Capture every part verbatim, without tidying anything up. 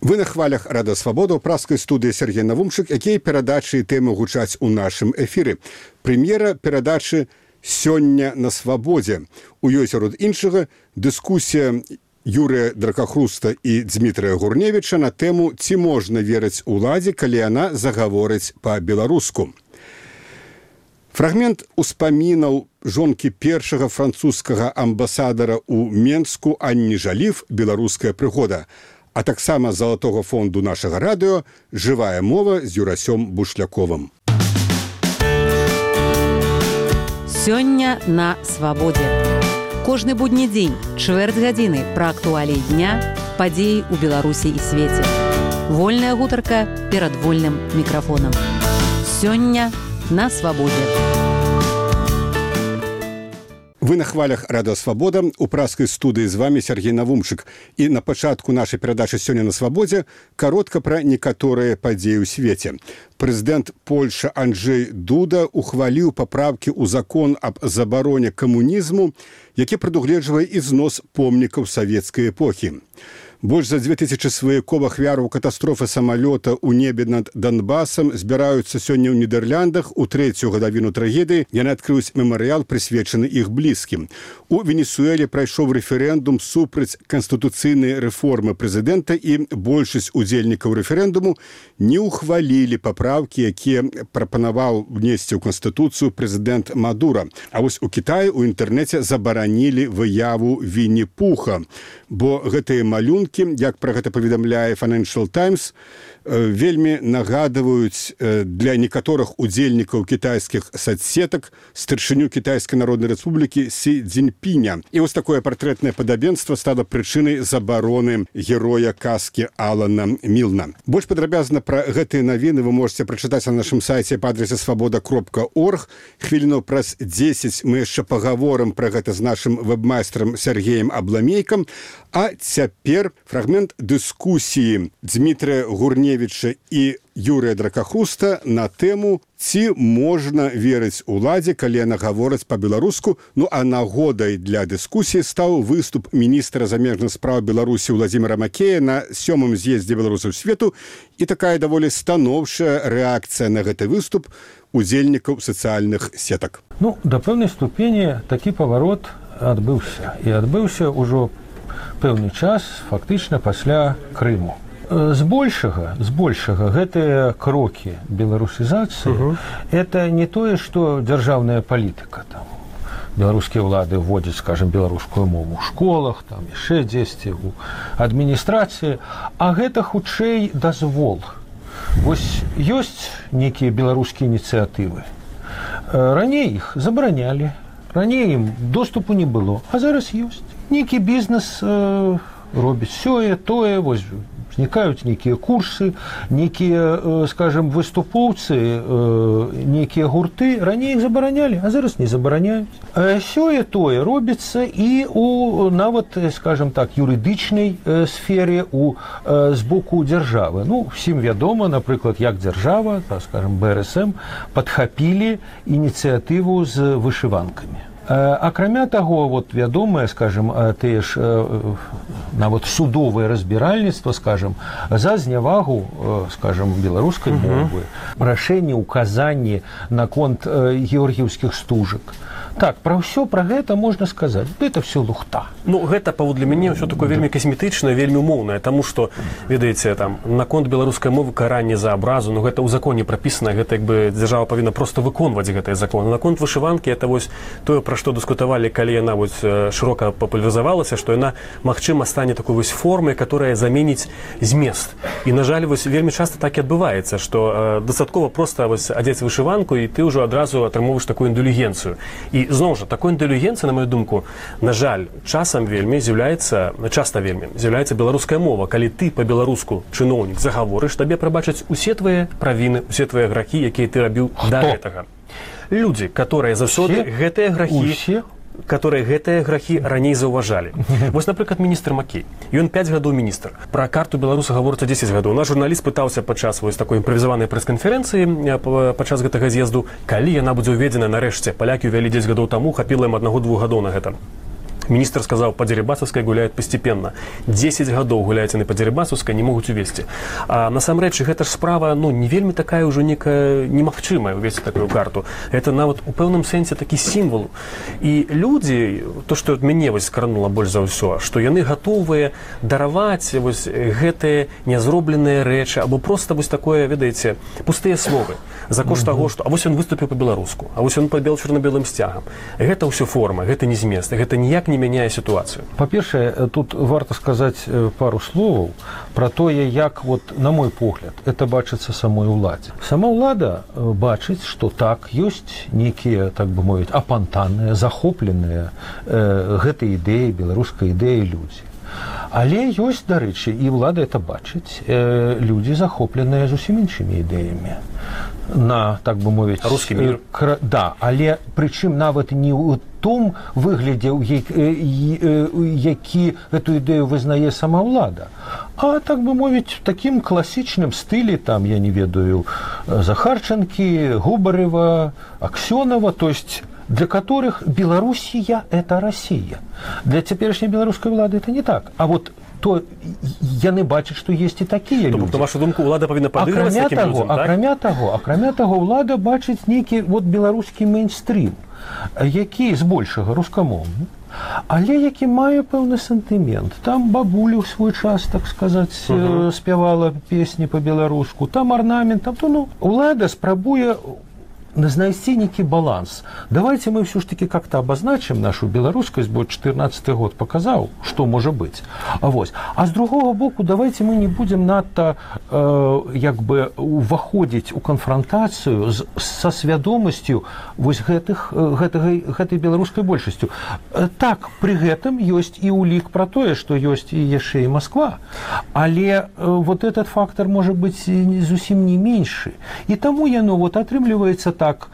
Вы на хвалях Рада Свабода ў праскай студыі Сергей Навумчык, якія перадачы і тэмы гучаць у нашым эфіры. Прэм'ера перадачы «Сёння на свабодзе». У ёй сярод іншага дыскусія Юрыя Дракахруста і Дзмітрыя Гурневіча на тэму «Ці можна верыць уладзе, калі яна загаворыць па-беларуску». Фрагмент успамінаў жонкі першага французскага амбасадара ў Менску Анні Жаліф «Беларуская прыгода», а таксама з залатога фонду нашага радыё «Жывая мова» з Юрасём Бушляковым. Сёння на свабодзе. Кожны будні дзень, чвэрць гадзіны пра актуаліі дня, падзеі ў Беларусі і свеце. Вольная гутарка перад вольным мікрафонам. Сёння на свабодзе. Вы на хвалях Радыё Свабода, у праскай студыі з вами Сергей Навумчык. І на пачатку нашай перадачы «Сёння на свабодзе» каротка пра некаторыя падзеі ў свеце. Прэзідэнт Польшчы Анджэй Дуда ухваліў папраўкі ў закон аб забароне камунізму, які прадугледжвае ізнос помнікаў савецкай эпохі. Больш за дзве тысячы сваякоў ахвяраў катастрофы самалёта ў небе над Донбасам збіраюцца сёння ў Нідэрляндах у трэцюю гадавіну трагедыі. Яны адкрыюць мемарыял, прысвечаны іх блізкім. У Венесуэле прайшоў рэферэндум супраць канстытуцыйнай рэформы прэзідэнта, і большасць удзельнікаў рэферэндуму не ўхвалілі папраўкі, якія прапанаваў внесці ў канстытуцыю прэзідэнт Мадура. А вось у Кітаі ў інтэрнэце забаранілі выяву Вінні-Пуха, бо гэтыя малюнкі, як пра гэта паведамляе Financial Times, вельмі нагадваюць для некаторых удзельнікаў кітайскіх соцсетак старшыню Кітайскай Народнай Рэспублікі Сі Цзіньпіня. І вось такое партрэтнае падабенства стала прычынай забароны героя казкі Алана Мілна. Больш падрабязна пра гэтыя навіны вы можете прачытаць на нашым сайце па адрасе свабода кропка орг. Хвіліну праз дзесяць мы яшчэ пагаворым пра гэта з нашым вэбмайстрам Сергеем Абламейкам. А цяпер фрагмент дыскусіі Дзмітрыя Гурневіча і Юрыя Дракахруста на тэму «Ці можна верыць уладзе, калі яна гаворыць па-беларуску». Ну а нагодай для дыскусіі стаў выступ міністра замежных спраў Беларусі Владзіміра Макея на сёмым з'ездзе беларусаў свету і такая даволі станоўчая рэакцыя на гэты выступ удзельнікаў сацыяльных сетак. Ну, да пэўнай ступені такі паварот адбыўся. І адбыўся ўжо пэўны час, фактычна пасля Крыму. Збольшага, збольшага гэтыя крокі беларусізацыі uh-huh. это не тое, што дзяржаўная палітыка там. Беларускія ўлады вводзяць, скажем, беларускую мову ў школах, там яшчэ дзесьці ў адміністрацыі, а гэта хутчэй дазвол. Вось ёсць нейкія беларускія ініцыятывы. Раней іх забаранялі, раней ім доступу не было, а зараз ёсць. Нейкі бізнес э, робіць сёе, тое, вось узнікаюць нейкія курсы, нейкія, э, скажем, выступоўцы, э, нейкія гурты, раней іх забаранялі, а зараз не забараняюць. Э, сёе, тое робіцца і у нават, скажем так, юрыдычнай э, сфере, у э, з боку дзяржавы. Ну, всім вядома, напрыклад, як дзяржава, так, скажем, Бэ Эр Эс Эм падхапілі ініцыятыву з вышыванкамі. Акрамя таго, вот вядомае, скажем, тыя ж нават судовае разбіральніцтва, скажем, за знявагу, скажем, беларускай мовы, рашэнне, указанні наконт георгіўскіх стужак. Так, пра ўсё пра гэта можна сказаць. Гэта все лухта. Ну, гэта, паводле мяне, ўсё такое вельмі касметычнае, вельмі умоўнае, таму што, ведаеце, там, наконт беларускай мовы каранне за абразу, ну, гэта ў законе прапісана, гэта, як бы, дзяржава павінна проста выконваць гэтыя законы. Наконт вышыванкі, это вось тое, пра што дыскутавалі, калі яна вось шырока папулярызавалася, што яна, магчыма, стане такой вось формай, которая заменіць змест. І, на жаль, вось вельмі часта так і адбываецца, што э, дастаткова проста вось адзець вышыванку, і ты ўжо адразу атрымоўваеш такую інтэлігенцыю. І зноў жа, такой інтэлігенцыі, на маю думку, на жаль, часам вельмі з'яўляецца, часта вельмі з'яўляецца беларуская мова. Калі ты па-беларуску чыноўнік загаворыш, табе прабачаць усе твае правіны, усе твае грахі, якія ты рабіў да гэтага. Людзі, которые заўсёды гэтыя грахі, которые гэтыя грахі раней заўважалі. Вось, напрыклад, міністр Макей. Ён пяць гадоў міністр. Пра карту беларуса гаворыцца дзесяць гадоў. Наш журналіст пытаўся падчас вось такой імправізаванай прэс-канферэнцыі падчас гэтага з'езду, калі яна будзе ўведзена нарэшце. Палякі ўвялі дзесяць гадоў таму, хапіла ім аднаго-двух гадоў на гэта. Міністр сказаў, па Дзерыбасаўскай гуляюць пастепенна. дзесяць гадоў гуляюць яны па Дзерыбасаўскай, не могуць увесці. А насамрэч, гэта ж справа, ну, не вельмі такая ўжо некая немагчымая увесці такую карту. Гэта нават у пэўным сэнсе такі сімвол. І людзі, то, што мяне вось скранула больш за ўсё, што яны гатовыя дараваць вось гэтыя нязробленыя рэчы, або проста вось такое, ведаеце, пустыя словы. За кошт таго, што а вось ён выступіў па-беларуску, а вось ён пабел чорна-белым сцягам. Гэта ўсё форма, гэта не змест, гэта ніяк не мяняе сітуацыю. Па-першае, тут варта сказаць пару словаў пра тое, як, вот, на мой погляд, это бачыцца самой уладзе. Сама ўлада бачыць, што так, ёсць нейкія, так бы мовіць, апантаныя, захопленыя э, гэтай ідэі, беларускай ідэі людзі. Але ёсць, дарэчы, і ўлада это бачыць, э, людзі, захопленыя зусім іншымі ідэямі. На, так бы мовіць, рускі мір. Кра... Да, але прычым нават не ў том выглядзе, які эту ідэю вызнае сама ўлада, а, так бы мовіць, в такім класічным стылі, там, я не ведаю, Захарченкі, Губарева, Аксёнова, то есть для которых Белоруссия – это Россия. Для теперешней белорусской влады это не так. А вот то яны бачаць, што есть і такія людзі. На вашу думку, ўлада павінна падыгрываць такім людзям, так? Акрамя таго, акрамя таго, ўлада бачыць нейкі вот беларускі мейнстрім, які збольшага рускамоўны, але які мае пэўны сантымент. Там бабуля ў свой час, так сказаць, uh-huh. спявала песні па-беларуску, там арнамент, там, то, ну, ўлада спрабуе знайсці нейкі баланс. Давайте мы все ж таки как-то обозначим нашу беларускасць, бо чатырнаццаты год показаў, што можа быць. А вось. А з другого боку, давайте мы не будем надта э, як бы уваходзіць у канфронтацыю з, са свядомасцю вось гэтых, гэтай, гэтай беларускай большасцю. Так, пры гэтым ёсць і улік пра тое, што ёсць і яшчэ і Москва. Але э, вот этот фактор можа быць зусім не меншы. І таму яно вот атрымліваецца так, так,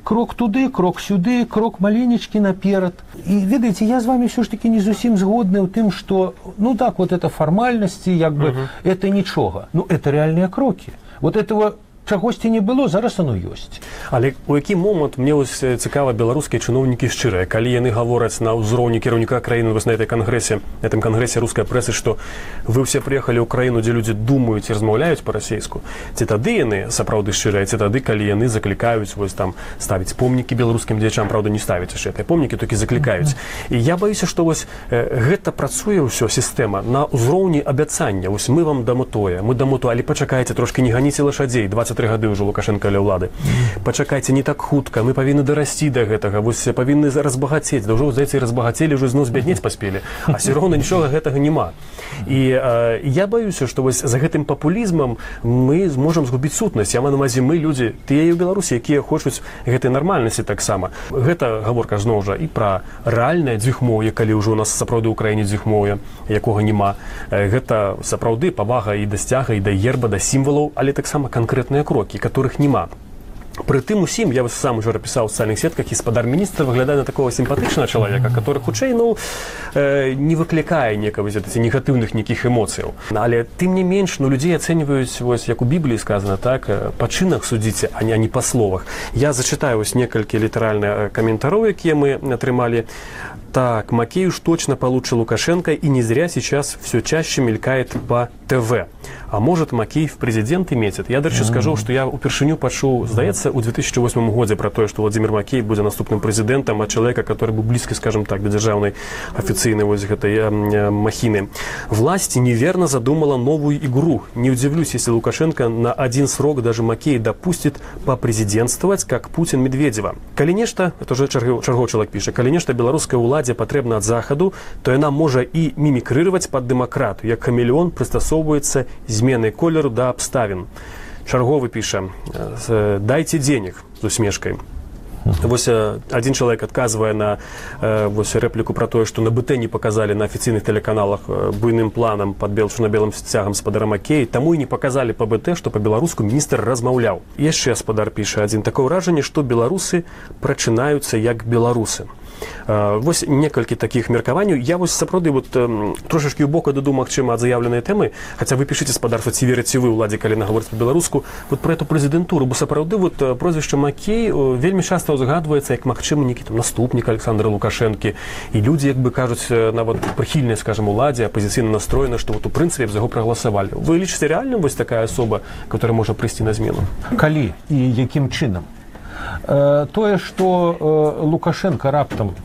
крок туды, крок сюды, крок маленечкі наперад. І, ведаеце, я з вами все ж таки не зусім згодны ў тым, што, ну так, вот это фармальнасці, як бы, uh-huh. это нічога. Ну, это реальныя крокі. Вот этого чагосьці не было, зараз оно ёсць. Але у які момант мне ось цікава беларускія чыноўнікі шчырыя, калі яны гавораць на ўзроўні кіраўніка краіны вось на этой кангрэсе, этом кангрэсе рускай прэсы, што вы ўсе прыехалі ў краіну, дзе людзі думаюць і размаўляюць па-расейску, ці тады яны сапраўды шчырыя, ці тады, калі яны заклікаюць вось там ставіць помнікі беларускім дзеячам, правда, не ставіць яшчэ гэтыя помнікі, толькі заклікаюць. Mm-hmm. І я баюся, што вось э, гэта працуе ўсё сістэма на ўзроўні абяцання. Вось мы вам дамо тое, мы дамо тое, але пачакайце, трошкі не ганіце лашадзей, дваццаць тры гады ўжо Лукашенко ля ўлады. Пачакайце, не так хутка, мы павінны дарасці да гэтага, вось павінны разбагацець, да ўжо, здаецца, і разбагацелі, ўжо зноў збяднець паспелі, а все роўна нічога гэтага няма. І э, я баюся, што вось за гэтым папулізмам мы зможам згубіць сутнасць. Я маю на ўвазе, мы людзі, тыя і ў Беларусі, якія хочуць гэтай нармальнасці таксама. Гэта гаворка зноў жа і пра рэальнае дзвюхмоўе, калі ўжо у нас сапраўды ў краіне дзвюхмоўя, якога няма. Гэта сапраўды павага і да сцяга, і да герба, да сімвалаў, але таксама канкрэтныя крокі, которых няма. Пры тым усім, я сам уже пісаў у сацыяльных сетках, гаспадар міністра выглядае на такого сімпатычнага чалавека, который хутчэй, ну, э, не выклікае некага негатыўных нейкіх эмоцыяў. Але тым не менш, ну, людзей ацэньваюць, вось як у Бібліі сказана, так, па чынах судзіце, а не па словах. Я зачытаю вось некалькі літаральных каментароў, якія мы атрымалі. Так, Макей уж точно получше Лукашенко, и не зря сейчас все чаще мелькает по ТВ. А может, Макей в президенты метит. Я дальше mm-hmm. скажу, что я упершыню пачуў, здаецца, у две тысячи восьмом годзе про то, что Владимир Макей будет наступным президентом, а человека, который был близко, скажем так, до державной официальной вот этой э, махины. Власть неверно задумала новую игру. Не удивлюсь, если Лукашенко на один срок даже Макей допустит попрезидентствовать, как Путин Медведева. Калі нешта, это уже чарговы чалавек піша, калі нешта беларускай уладзе патрэбна ад захаду, то яна можа і мімікрыраваць пад дэмакрату, як хамелеон прыстасоўваецца зменай колеру да абставін. Чарговы піша, дайце денег з усмешкай. Вось один чалавек адказвае на вось рэпліку пра тое, што на БТ не паказалі на афіцыйных тэлеканалах буйным планам пад чорна-белым сцягам спадара Макея, таму і не паказалі па БТ, што па-беларуску міністр размаўляў. Яшчэ спадар піша адзін, такое ўражанне, што беларусы прачынаюцца як беларусы. Вось некалькі такіх меркаванняў. Я вось сапраўды вот трошачкі ў боку дадумаў, магчыма, ад заяўленай тэмы, хаця вы пішыце спадарства, ці верыце вы ўладзе, калі нагаворыць па-беларуску, вот про эту прэзідэнтуру, бо сапраўды вот прозвішча Макей вельмі часта узгадваецца як магчымы нейкі там наступнік Александра Лукашэнкі, і людзі як бы кажуць нават прыхільныя, скажем, уладзе, апазіцыйна настроены, што вот у прынцыпе за яго прагаласавалі. Вы лічыце рэальным вось такая асоба, которая можа прыйсці на змену? Калі і якім чынам? Э, тое, што э, Лукашенко раптам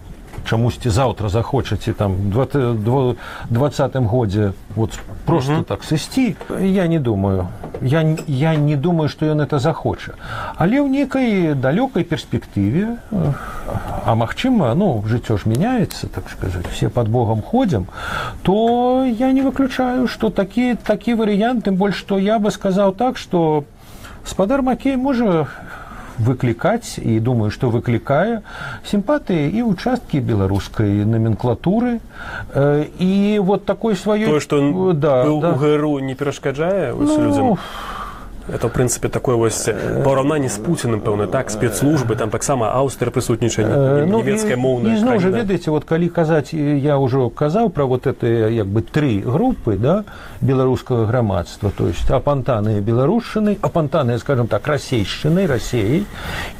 чамусьці заўтра захочаце там в двадцатым годзе вот просто uh-huh. так сысці, я не думаю. Я, я не думаю, што ён это захоча. Але ў нейкай далёкай перспектыве, а магчыма, ну, жыццё ж мяняецца, так сказаць, все под Богом ходзім, то я не выключаю, што такі, такі варыянт, тым больш, што я бы сказаў так, што спадар Макей можа выклікаць, і думаю, што выклікае сімпатыі і ўчасткі беларускай номенклатуры, э, і вот такой сваёй... Тое, што да, быў да. у ГРУ, не перашкаджае ну... людзям? Это, в принципе, такое вось параўнанне з Пуціным, пэўна, так, спецслужбы, там таксама Аўстрыя прысутнічае, нямецкая моўная. І зноў жа, ведаеце, вот калі казаць, я ўжо казаў пра вот это, як бы, тры групы, да, беларускага грамадства, то есть апантаныя беларушчынай, апантаныя, скажем так, расейшчынай, Расеяй,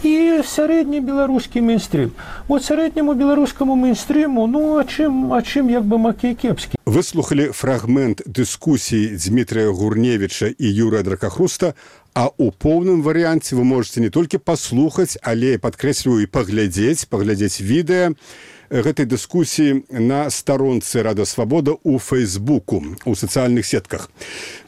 і сярэдні беларускі мейнстрим. Вот сярэдняму беларускаму мейнстриму, ну, а чым, а чым як бы Макей кепскі? Вы слухали фрагмент дыскусіі Дмітрия Гурневіча і Юрыя Дракахруста, а ў поўным варыянце вы можете не толькі паслухаць, але, падкрэсліваю, і паглядзець, паглядзець відэа гэтай дыскусіі на старонцы Рада Свабода ў Фейсбуку, у сацыяльных сетках.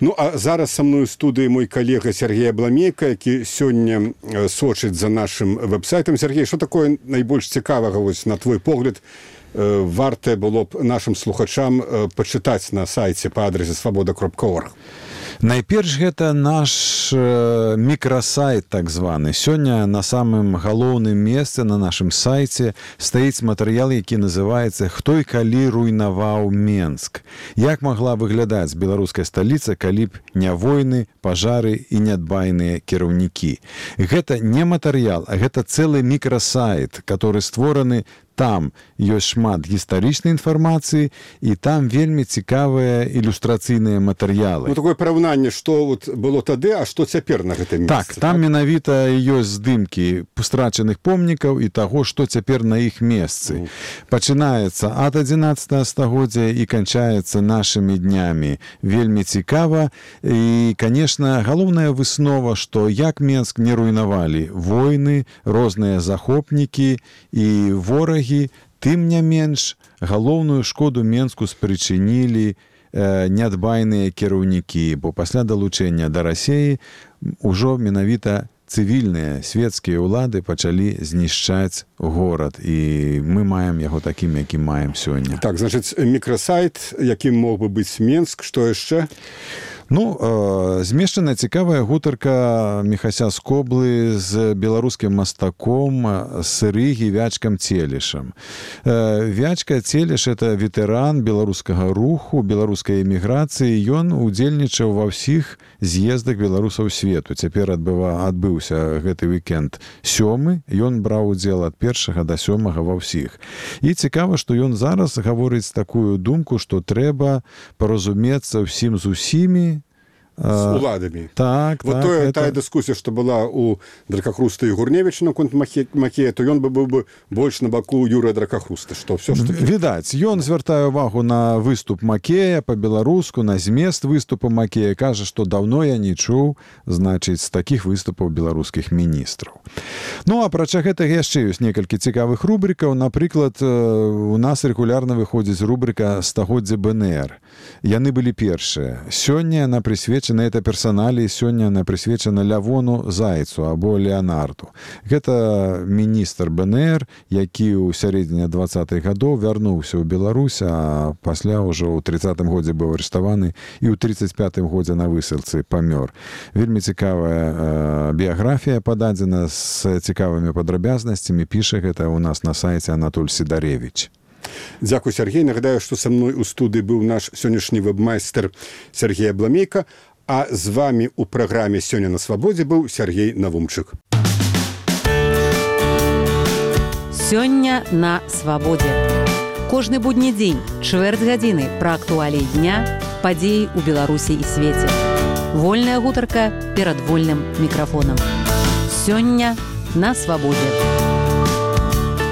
Ну, а зараз са мной у студыі мой калега Сергей Абламейка, які сёння сочыць за нашым вэб-сайтам. Сергей, што такое найбольш цікавага, вось, на твой погляд, варта было б нашим слухачам пачытаць на сайце па адрасе свабода кропка орг? Найперш гэта наш э, мікрасайт так званы. Сёння на самым галоўным месцы на нашым сайце стаіць матэрыял, які называецца «Хто і калі руйнаваў Менск». Як магла выглядаць беларуская сталіца, калі б не войны, пажары і нядбайныя кіраўнікі. Гэта не матэрыял, а гэта цэлы мікрасайт, который створаны. Там ёсць шмат гістарычнай інфармацыі, і там вельмі цікавыя ілюстрацыйныя матэрыялы. Ну, такое параўнанне, што вот было тады, а што цяпер на гэтым месцы. Так, там так? менавіта ёсць здымкі страчаных помнікаў і таго, што цяпер на іх месцы. Mm. Пачынаецца ад адзінаццатага стагоддзя і канчаецца нашымі днямі. Вельмі цікава. І, канешне, галоўная выснова, што як Менск не руйнавалі войны, розныя захопнікі і ворагі, тым не менш, галоўную шкоду Менску спрычынілі э, нядбайныя кіраўнікі, бо пасля далучэння да Расеі ўжо менавіта цывільныя свецкія ўлады пачалі знішчаць горад, і мы маем яго такім, якім маем сёння. Так, значыць, мікрасайт, якім мог бы быць Менск, што яшчэ? Ну, э, змешчана цікавая гутарка Міхася Скоблы з беларускім мастаком Сырыгі Вячкам Целішам. Э, Вячка Целіш – это ветэран беларускага руху, беларускай эміграцыі. Ён удзельнічаў ва ўсіх з'ездах беларусаў свету. Цяпер адбыва, адбыўся гэты вікенд сёмы. Ён браў удзел ад першага да сёмага ва ўсіх. І цікава, што ён зараз гаворыць такую думку, што трэба паразумецца ўсім з усімі, з уладамі. Так, вот так. Тое, это... тая дыскусія, што была у Дракахруста і Гурневіча наконт Макея, то ён бы быў бы больш на баку Юрыя Дракахруста. Што, ўсё ж таки... Відаць, ён звяртае ўвагу на выступ Макея па-беларуску, на змест выступу Макея. Кажа, што даўно я не чуў, значыць, з такіх выступаў беларускіх міністраў. Ну, апрача гэтага яшчэ ёсць некалькі цікавых рубрикаў. Напрыклад, у нас рэгулярна выходзіць рубрика «Стагоддзе БНР». Яны былі першыя. Сёння яна прысвечана, это персаналі, сёння яна прысвечана Лявону Зайцу або Леонарду. Гэта міністр БНР, які ў сярэдзіне дваццатых гадоў вярнуўся ў Беларусь, а пасля ўжо ў трыццатым годзе быў арыштаваны і ў трыццаць пятым годзе на высылцы памёр. Вельмі цікавая э, біяграфія пададзена з цікавымі падрабязнасцямі. Піша гэта ў нас на сайце Анатоль Сідаревіч. Дзякуй, Сергей. Нагадаю, што са мной у студыі быў наш сённяшні вэб-майстер Сергей Абламейка, а з вамі ў праграме «Сёння на свабодзе» быў Сергей Навумчык. Сёння на свабодзе. Кожны будні дзень, чвэрць гадзіны пра актуаліі дня, падзеі ў Беларусі і свеце. Вольная гутарка перад вольным мікрафонам. Сёння на свабодзе.